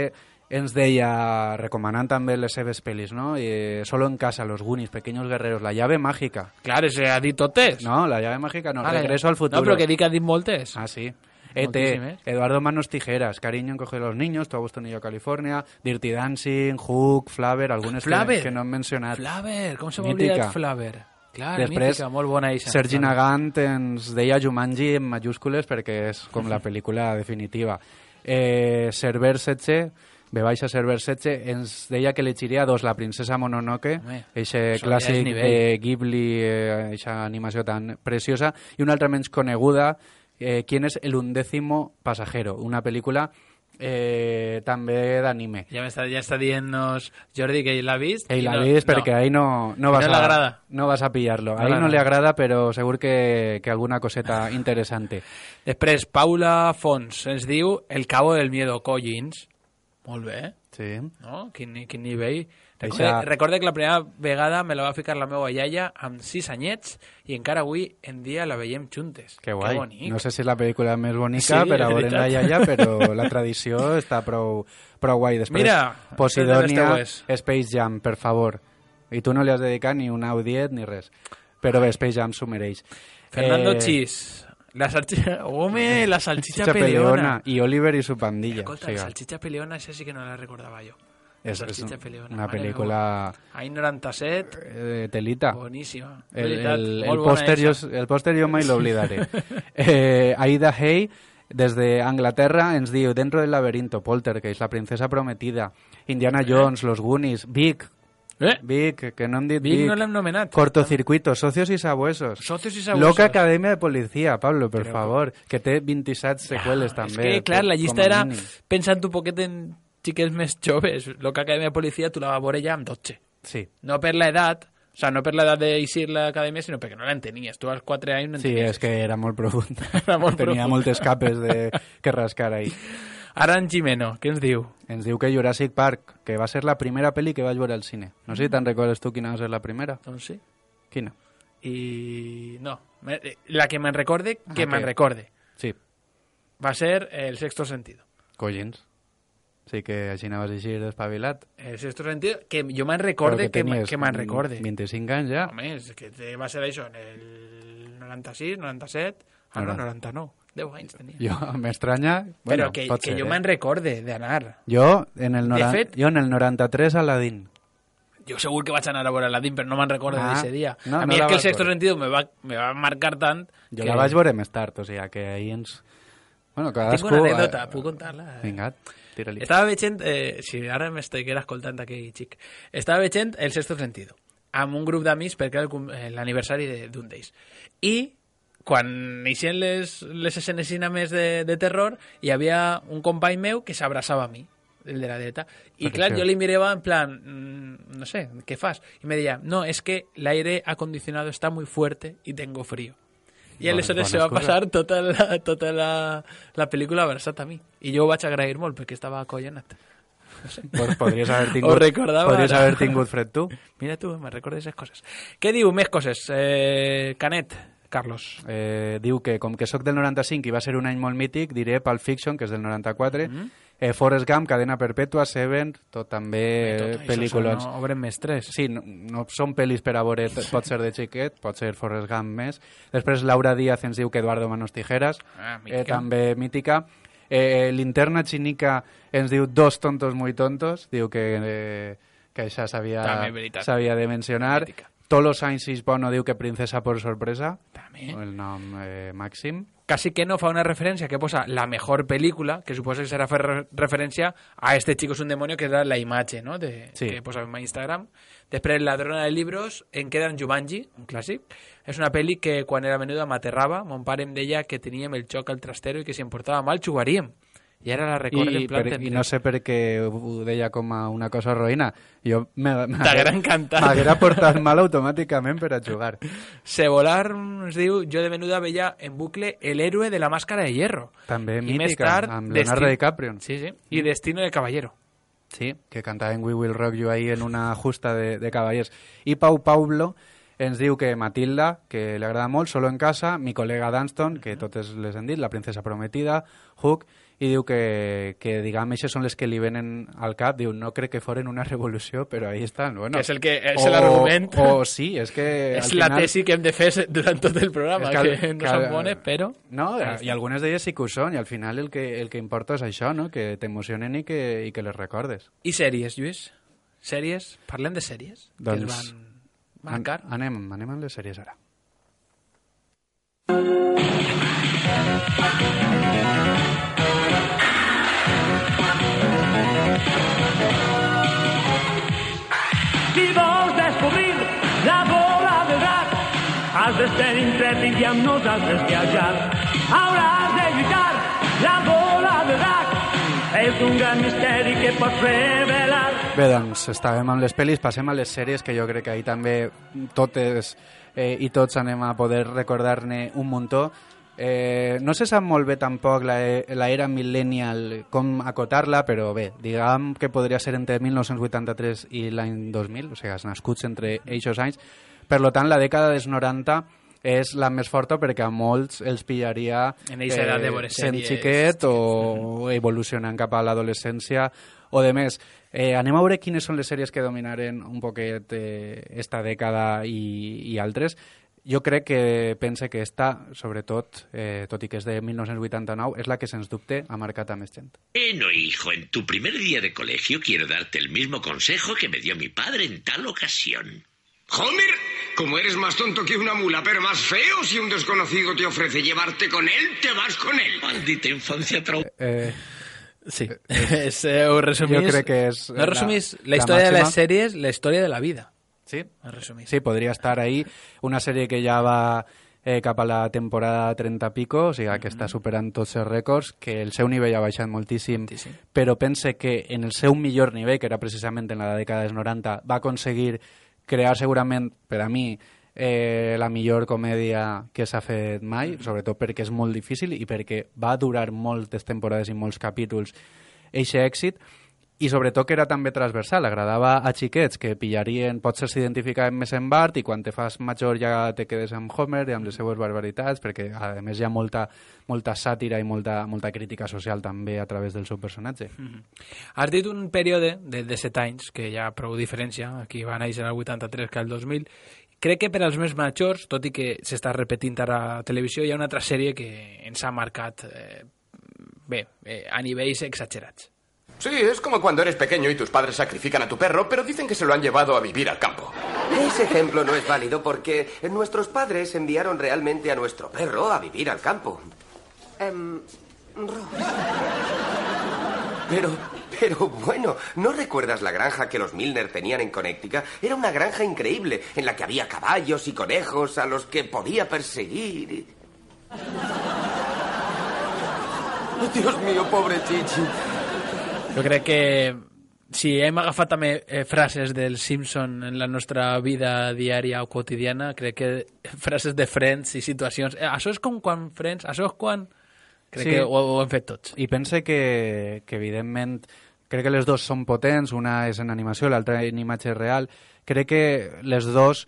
ens deia, recomanant també les seves pel·lis, no? I, Solo en casa, Los Goonies, Pequeños Guerreros, La llave mágica. Clar, se ha dit totes. No, La llave mágica no, Ah, la- Regreso al futuro. No, però que dic que ha dit moltes. Ah, sí. E T, Moltíssimes. Eduardo Manos Tijeras, Cariño encoge a los niños, Tu a Boston y yo a California, Dirty Dancing, Hook, Flaver, algunes Flaver. que, que no hem mencionat. Flaver, com se m'ha Mítica. oblidat Flaver? Clar, Després, mítica, molt bona eixa. Sergi Flaver. Nagant ens deia Jumanji en majúscules perquè és com la pel·lícula definitiva. Eh, Cerver setze, B baixa Cerver setze, ens deia que elegiria dos, La princesa Mononoke, Home, eixe això ja clàssic és nivell. de Ghibli, eh, eixa animació tan preciosa, i una altra menys coneguda, eh, Quién es el undécimo pasajero, una pel·lícula eh, també d'anime. Ja, està, ja està dient-nos Jordi que ell l'ha vist. Ell i l'ha no, vist perquè no. ahí no, no, I vas no a, l'agrada. no vas a pillar-lo. No A ell no l'agrada. li agrada, però segur que, que alguna coseta interessante. Després, Paula Fons ens diu El cabo del miedo, Collins. Molt bé, Sí. no? Quin, quin nivell. Eixa- Recorde, recorde que la primera vegada me la va ficar la meva iaia amb sis anyets i encara avui en dia la veiem juntes. Que guai. Que bonic. No sé si és la pel·lícula més bonica Sí, per a és veure la veritat. iaia, però la tradició està prou, prou guai. Després, Mira, Posidonia, les Space Jam, per favor. I tu no li has dedicat ni un audiet ni res. Però bé, Space Jam s'ho mereix. Fernando Eh, Chis. La salchicha... Home, la salchicha, Salchicha peleona. Peleona. I Oliver i su pandilla. Escolta, O sigui, la salchicha peleona, això sí que no la recordava jo. La és, és salchicha un- peleona. una mare pel·lícula meua. Any noranta-set, eh, telita. boníssima. El, Veritat, el, el, molt bona pòster jo, esa. el pòster jo mai l'oblidaré. eh, Aida Hay, des d'Anglaterra, ens diu Dentro del laberinto, Poltergeist, La princesa prometida, Indiana Jones, Los Goonies, Vic, Eh? Vic, que no hem dit Vic Vic, no l'hem nomenat. Cortocircuito, Socios y Sabuesos, Socios y Sabuesos. Loca Academia de Policía, Pablo, per Però- favor, que té vint-i-set seqüeles És també. que, clar, la com llista a era mínim. pensant un poquet en xiquets més joves. Lo que Acadèmia de Policia tu la vas veure ja amb dotze. Sí, No per l'edat, o sea, no per l'edat d'eixir l'acadèmia, sinó perquè no l'entenies. Tu als quatre anys no sí, entenies. és que era molt profund. Era molt Tenia profund. moltes capes de... que rascar ahí. Aran Jimeno, què ens diu? Ens diu que Jurassic Park, que va ser la primera pel·li que vaig veure al cine. No sé si te'n recordes tu quina va ser la primera. Doncs sí. Quina? I... no. La que me'n recorde, que Ah, me'n que- recorde. Sí. Va ser El sexto sentido. Collins. Sí que així anaves així despavilat. El sexto sentido, que jo me'n recorde, que, tenies que me'n recorde. vint-i-cinc anys ja. Home, és que te- va ser això en el noranta-sis, noranta-set, ah, no, noranta-nou. deu anys tenia. Jo, m'estranya... Però Bueno, que, pot que ser, jo eh? me'n recorde d'anar. Jo, en el, nora... De fet- jo en el noranta-tres a Aladdin. Jo segur que vaig anar a veure Aladdin, però no me'n recordo Ah, d'aquest dia. no, a no mi la és que el vas sexto veure. sentido me va, me va marcar tant Jo que... la vaig veure més tard, o sigui, que ahir ens... Bueno, cadascú... Tinc una anècdota, puc contar-la? Vinga, tira-li. Estava veient, eh, si ara m'estic escoltant aquell xic, estava veient El sexto sentido, amb un grup d'amics perquè era el cum- eh, l'aniversari de- d'un d'ells. I quan eixien les, les escenes més de, de terror, hi havia un company meu que s'abraçava a mi, el de la dreta. I Però clar, què? jo li mirava en plan, mm, no sé, ¿qué fas? Y me decía, no, es que el aire acondicionado está muy fuerte y tengo frío. I Bona- aleshores bona se va excusa. passar tota la, tota la, la pel·lícula abraçat a mi. I jo ho vaig agrair molt perquè estava acollonat. No sé. Pues podries haver Ho tingut, recordava podries ara. haver tingut fred tu. Mira tu, me recordes esas coses. Què diu més coses? Eh, Canet, Carlos. Eh, diu que com que sóc del noranta-cinc i va ser un any molt mític, diré Pulp Fiction, que és del noranta-quatre, Mm. eh, Forrest Gump, Cadena Perpètua, Seven, tot també Tot eh, això pel·lícules... són obres mestres. Sí, no, no són pel·lis per a veure, t- pot ser de xiquet, pot ser Forrest Gump més. Després Laura Díaz ens diu que Eduardo Manos Tijeras, Ah, mítica. eh, també mítica. Eh, Linterna Chinica ens diu Dos tontos muy tontos, diu que, eh, que això s'havia També veritat. s'havia de mencionar. Mítica. Tolo Sainz Hisbono diu que Princesa por sorpresa, També. el nom eh, màxim. Casi que no fa una referència que posa la mejor pel·lícula, que suposa que serà fer re- referència a Este chico es un demonio, que era la imatge, no?, de, Sí. que posa en Instagram. Després Ladrona de libros, en queda en Jumanji, un clàssic. És una pel·li que quan era menuda m'aterrava. Mon pare em deia que teníem el xoc al trastero i que si em portava mal jugaríem. I ara la recordo I, en plan... per, tendre. I no sé per què ho deia com a una cosa roïna. Jo me- me- T'haguera encantat. M'haguera portat mal automàticament per a jugar. Sebolar ens diu, jo de menuda veia en bucle El héroe de la máscara de hierro. També I més mítica, tard, amb Leonardo Desti- DiCaprio. Sí, sí. I Destino de caballero. Sí, que cantava en We Will Rock You ahí en una justa de, de cavallers. I Pau Paulo ens diu que Matilda, que li agrada molt, Solo en casa, Mi col·lega Dunston, que totes les hem dit, La princesa prometida, Hook, i diu que, que diguem, aquestes són les que li venen al cap. Diu, no crec que foren una revolució, però ahí estan. Bueno, Que és el que és o- l'argument. O sí, és que... És al la final- tesi que hem de fer durant tot el programa, És que, que al- no que són al- bones, però... No, i algunes d'elles sí que ho són, i al final el que, el que importa és això, no? Que t'emocionen i que, i que les recordes. I sèries, Lluís? Sèries? Parlem de sèries que Doncs, es van marcar. An anem, anem amb les sèries ara. Si vols descobrir la bola de drac, has de ser intrèpid i amb nosaltres viatjar. Hauràs de lluitar, la bola de drac és un gran misteri que pots revelar. Bé, doncs estàvem amb les pel·lis, passem a les sèries, que jo crec que ahir també totes eh, i tots anem a poder recordar-ne un muntó. Eh, no se sap molt bé tampoc la, la era millennial, com acotar-la, però bé, diguem que podria ser entre mil nou-cents vuitanta-tres i l'any dos mil, o sigui, els nascuts entre eixos anys. Per tant, la dècada dels noranta és la més forta perquè a molts els pillaria En eixa edat de veure sent sèries, xiquet o evolucionant cap a l'adolescència o de més. Eh, anem a veure quines són les sèries que dominaren un poquet eh, esta dècada i, i altres. Jo crec que pense que esta, sobretot, eh, tot i que és de mil nou-cents vuitanta-nou, és la que, sens dubte, ha marcat a més gent. Bueno, hijo, en tu primer día de colegio quiero darte el mismo consejo que me dio mi padre en tal ocasión. Homer, como eres más tonto que una mula, pero más feo, si un desconocido te ofrece llevarte con él, te vas con él. Maldita infancia traumada. Eh, sí, és, eh, ho resumís... Jo crec que és... No resumís la, la història de màxima. les sèries, la història de la vida. Sí, resumís. sí, podria estar ahí. Una sèrie que ja va eh, cap a la temporada trenta pico, o sigui, que està superant tots els rècords, que el seu nivell ha baixat moltíssim, Sí, sí. però pense que en el seu millor nivell, que era precisament en la dècada dels noranta, va aconseguir crear segurament, per a mi, eh, la millor comèdia que s'ha fet mai, sobretot perquè és molt difícil i perquè va durar moltes temporades i molts capítols eixe èxit, i sobretot que era també transversal, agradava a xiquets que pillarien, potser s'identificaven més en Bart i quan te fas major ja te quedes amb Homer i amb les seues barbaritats, perquè a més hi ha molta, molta sàtira i molta, molta crítica social també a través del seu personatge. Mm-hmm. Has dit un període de, de set anys, que hi ha prou diferència, aquí va néixer el vuitanta-tres que el dos mil. Crec que per als més majors, tot i que s'està repetint ara a la televisió, hi ha una altra sèrie que ens ha marcat eh, bé, eh, a nivells exagerats. Sí, es como cuando eres pequeño y tus padres sacrifican a tu perro, pero dicen que se lo han llevado a vivir al campo. Ese ejemplo no es válido porque nuestros padres enviaron realmente a nuestro perro a vivir al campo. Um, pero, pero bueno, ¿no recuerdas la granja que los Milner tenían en Connecticut? Era una granja increíble, en la que había caballos y conejos a los que podía perseguir. Oh, Dios mío, pobre Chichi. Jo crec que si hem agafat també eh, frases del Simpson en la nostra vida diària o quotidiana, crec que frases de Friends i situacions... Eh, això és com quan Friends... Això és quan... Crec sí. que ho, ho hem fet tots. I pense que, que evidentment, crec que les dues són potents, una és en animació, l'altra en imatge real. Crec que les dues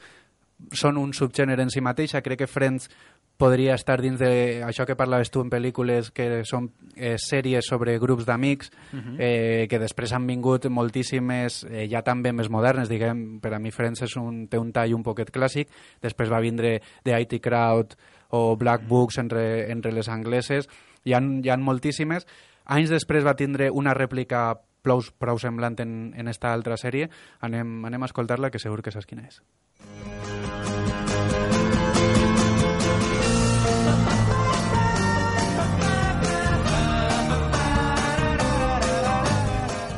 són un subgènere en si mateixa. Crec que Friends podria estar dins de això que parlaves tu en pel·lícules que són eh, sèries sobre grups d'amics, uh-huh. eh, que després han vingut moltíssimes, eh, ja també més modernes, diguem, per a mi Friends és un, té un tall un poquet clàssic, després va vindre The I T Crowd o Black Books entre, entre les angleses, hi ha, hi ha moltíssimes. Anys després va tindre una rèplica prou, prou semblant en, en esta altra sèrie, anem, anem a escoltar-la, que segur que saps quina és.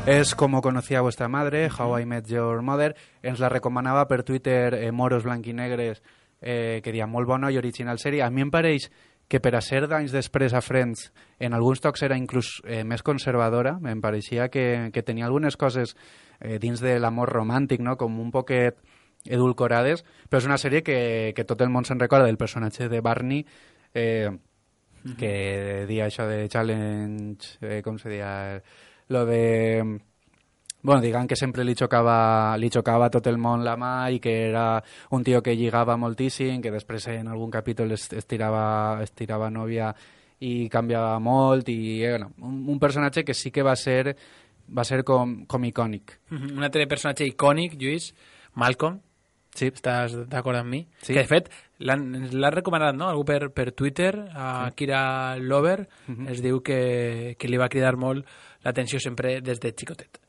És Com conocía vuestra madre, How I Met Your Mother. Ens la recomanava per Twitter eh, Moros Blanquinegres, eh, que dia molt bona i original sèrie. A mi em pareix que per a ser d'anys després a Friends, en alguns tocs era inclús eh, més conservadora. Em pareixia que, que tenia algunes coses eh, dins de l'amor romàntic, no? Com un poquet edulcorades, però és una sèrie que, que tot el món se'n recorda del personatge de Barney, eh, uh-huh. que dia això de challenge, eh, com se dia... lo de... Bueno, digan que sempre li xocava, li xocava a tot el món la mà i que era un tio que lligava moltíssim, que després en algun capítol es, es, tirava, es tirava nòvia i canviava molt, i bueno, un, un personatge que sí que va ser va ser com, com icònic. Uh-huh. Un altre personatge icònic, Lluís, Malcolm. Sí. Estàs d'acord amb mi? Sí. Que de fet l'ha recomanat, no? Algú per, per Twitter, a sí. Kira Lover, uh-huh. es diu que, que li va cridar molt l'atenció sempre des de xicotet.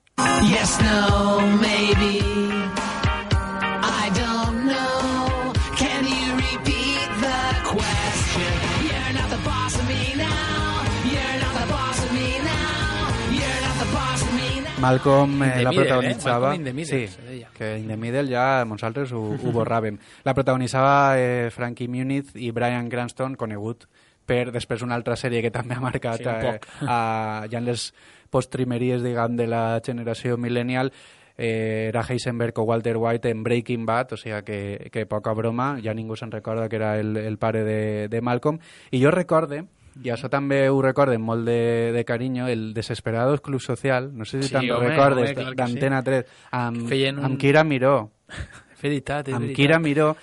Yes, no, maybe I don't know. Can you repeat the question? You're not the boss of me now. You're not the boss of me now. You're not the boss of me now. Malcolm eh, la protagonitzava... Eh? Malcolm sí, que in the middle ja nosaltres ho, ho borràvem. La protagonitzava eh, Frankie Muniz i Bryan Cranston, conegut per després una altra sèrie que també ha marcat sí, eh, a, ja en les postrimeries, diguem, de la generació millennial, eh, era Heisenberg o Walter White en Breaking Bad, o sigui que, que poca broma, ja ningú se'n recorda que era el, el pare de, de Malcolm. I jo recorde, i això també ho recorde molt de, de carinyo, el Desesperados Club Social, no sé si sí, te'n home, recordes, home, d'Antena sí. tres, amb, un... amb Kira Miró. Veritat, és amb veritat. Kira Miró,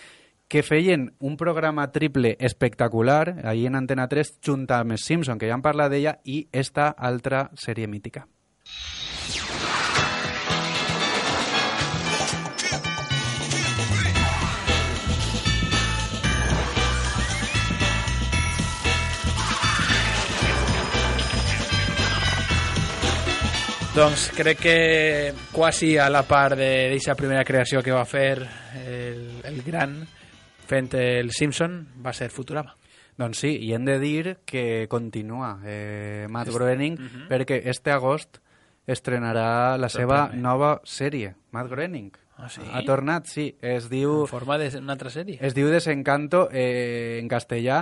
que feien un programa triple espectacular ahí en Antena tres junt amb els Simpson, que ja han parlat d'ella, i esta altra sèrie mítica. Doncs crec que quasi a la part d'aquesta primera creació que va fer el, el gran fent el Simpson va ser Futurama. Doncs sí, i hem de dir que continua eh, Matt Groening, uh-huh. perquè este agost estrenarà la seva nova sèrie, Matt Groening. Ah, sí? Ha tornat, sí. Es diu... En forma d'una altra sèrie. Es diu Desencanto, eh, en castellà.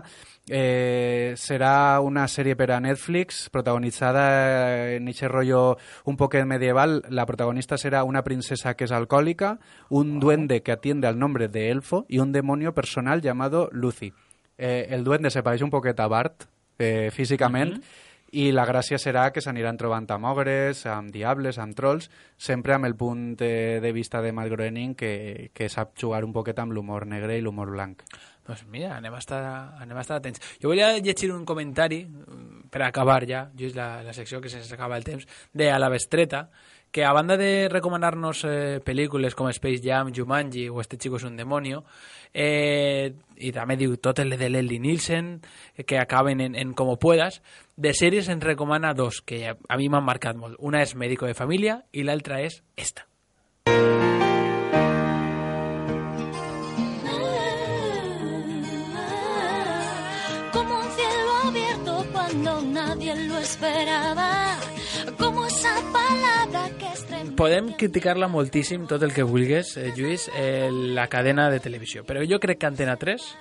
Eh, serà una sèrie per a Netflix, protagonitzada en aquest rotllo un poquet medieval. La protagonista serà una princesa que és alcohòlica, un oh. duende que atiende al nombre de Elfo y un demonio personal llamado Lucy. Eh, el duende se pareix un poquet a Bart, eh, físicament, uh-huh. i la gràcia serà que s'aniran trobant amb ogres, amb diables, amb trolls, sempre amb el punt de, de vista de Matt Groening, que, que sap jugar un poquet amb l'humor negre i l'humor blanc. Doncs mira, anem a estar, anem a estar atents. Jo volia llegir un comentari, per acabar ja, just la, la secció que se'ns acaba el temps, de A la Bestreta, que a banda de recomanar-nos eh, pel·lícules com Space Jam, Jumanji o Este chico es un demonio, eh, i també diu tot el de Leslie Nielsen, que acaben en, en Como puedas, de sèries ens recomana dos, que a, a mi m'han marcat molt. Una és Médico de Familia i l'altra és esta. Como un cielo abierto cuando nadie lo esperaba, como esa palabra que estremece. Podem criticar-la moltíssim tot el que vulguis, eh, Lluís, eh, la cadena de televisió, però jo crec que Antena tres,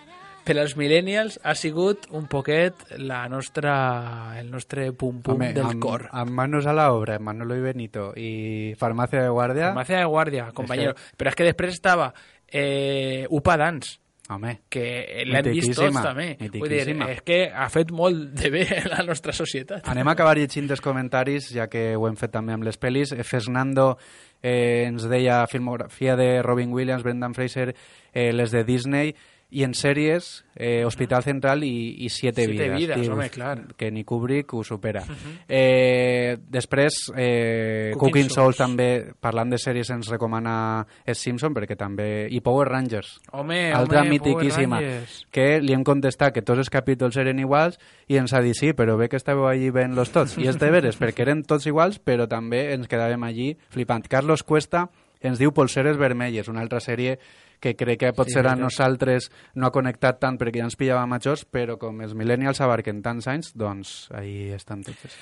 per als millennials, ha sigut un poquet la nostra, el nostre pum-pum Home, del amb, cor. Amb manos a la obra, Manolo y Benito, i Farmàcia de Guàrdia... Farmàcia de Guàrdia, companyero. Es que... Però és que després estava eh, Upa Dance, Home, que l'hem vist tots també. Vull dir, és que ha fet molt de bé a la nostra societat. Anem a acabar llegint els comentaris, ja que ho hem fet també amb les pel·lis. Fernando eh, ens deia filmografia de Robin Williams, Brendan Fraser, eh, les de Disney, i en sèries, eh, Hospital Central i, i Siete, Siete Vidas. Vidas, Tio, home, clar. Que ni Kubrick ho supera. Uh-huh. eh, després, eh, Cooking, Cooking Souls Souls també, parlant de sèries, ens recomana Els Simpson, perquè també... I Power Rangers. Home, altra home, mitiquíssima. Power Rangers. Que li hem contestat que tots els capítols eren iguals i ens ha dit sí, però bé que estàveu allí veient los tots. I és de veres, perquè eren tots iguals, però també ens quedàvem allí flipant. Carlos Cuesta ens diu Polseres Vermelles, una altra sèrie que crec que potser sí, a nosaltres no ha connectat tant perquè ja ens pillava majors, però com els millennials abarquen tants anys, doncs ahí estan totes.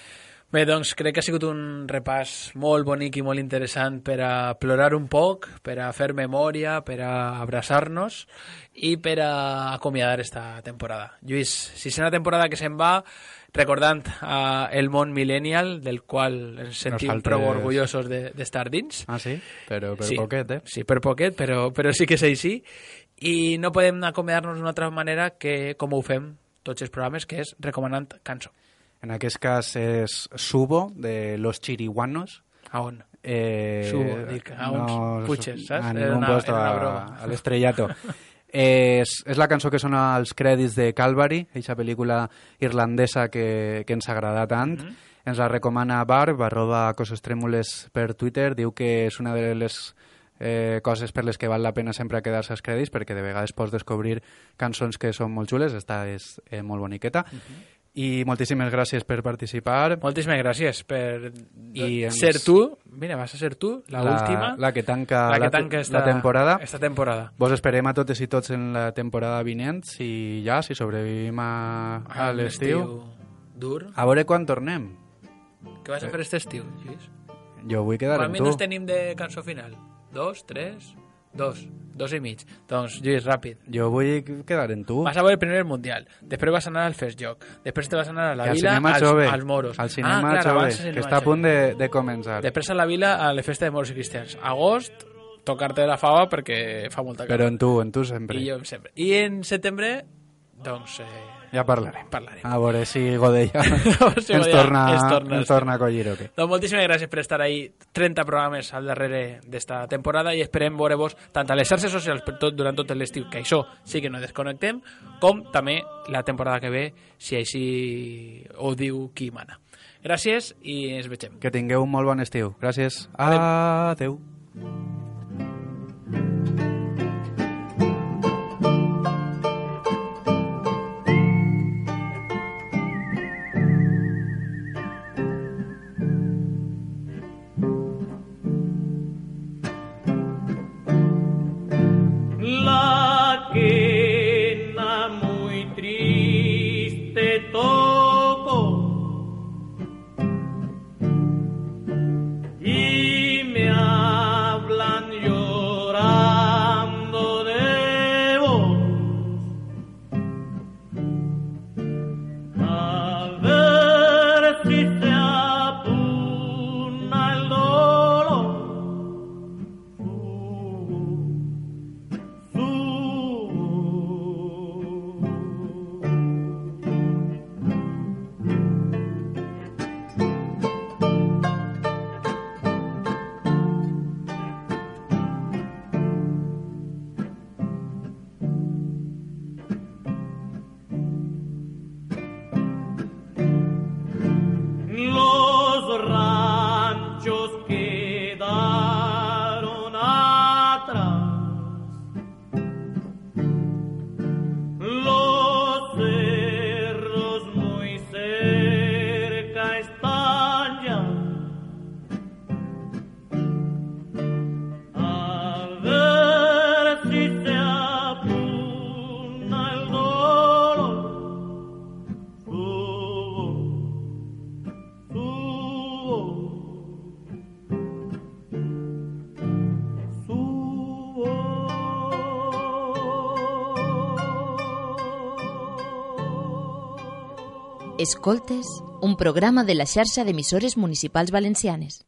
Bé, doncs crec que ha sigut un repàs molt bonic i molt interessant per a plorar un poc, per a fer memòria, per a abraçar-nos i per a acomiadar esta temporada. Lluís, sisena temporada que se'n va, recordant uh, el món millennial, del qual ens sentim Nosaltres... prou orgullosos d'estar de, dins. Ah, sí? Però per sí, poquet, eh? Sí, per poquet, però, però sí que és així. I no podem acomiadar-nos d'una altra manera que com ho fem tots els programes, que és recomanant cançó. En aquest cas és Subo, de Los Chiriguanos. A on? Eh, Subo, dic, a uns no, puches, saps? A ningún puesto, a, a l'estrellato. Eh, és, és la cançó que sona als crèdits de Calvary, aquesta pel·lícula irlandesa que, que ens agrada tant. Mm-hmm. Ens la recomana Barb, arroba Coses Trèmules per Twitter. Diu que és una de les eh, coses per les que val la pena sempre quedar-se als crèdits, perquè de vegades pots descobrir cançons que són molt xules. Esta és eh, molt boniqueta. Mm-hmm. I moltíssimes gràcies per participar. Moltíssimes gràcies per I ens... ser tu. Mira, vas a ser tu, la, la última. La que tanca, la, que la, tanca esta, la temporada. Esta temporada. Vos esperem a totes i tots en la temporada vinent i ja, si sobrevivim a, a l'estiu. Dur. A veure quan tornem. Què vas a fer aquest estiu, Lluís? Jo vull quedar amb tu. Quants minuts tenim de cançó final? Dos, tres... Dos, dos i mig. Doncs, Lluís, ràpid. Jo vull quedar en tu. Vas a veure el primer Mundial, després vas anar al Fest Joc, després te vas anar a la al Vila als, jove, als moros. Al cinema ah, clar, jove, cinema que està a punt de, de començar. Després a la Vila a la festa de moros i cristians. Agost, tocar-te la fava perquè fa molta calor. Però en tu, en tu sempre. I jo sempre. I en setembre, doncs... Eh, ja parlarem. parlarem. A veure si Godella si ens, Godella torna, ens, torna, ens torna a collir o què. Doncs moltíssimes gràcies per estar ahí. trenta programes al darrere d'esta temporada i esperem veure-vos tant a les xarxes socials per tot, durant tot l'estiu, que això sí que no desconnectem, com també la temporada que ve, si així ho diu qui mana. Gràcies i ens vegem. Que tingueu un molt bon estiu. Gràcies. Adeu. Adeu. La quena muy triste toco y me ha Escoltes, un programa de la xarxa d'emissores municipals valencianes.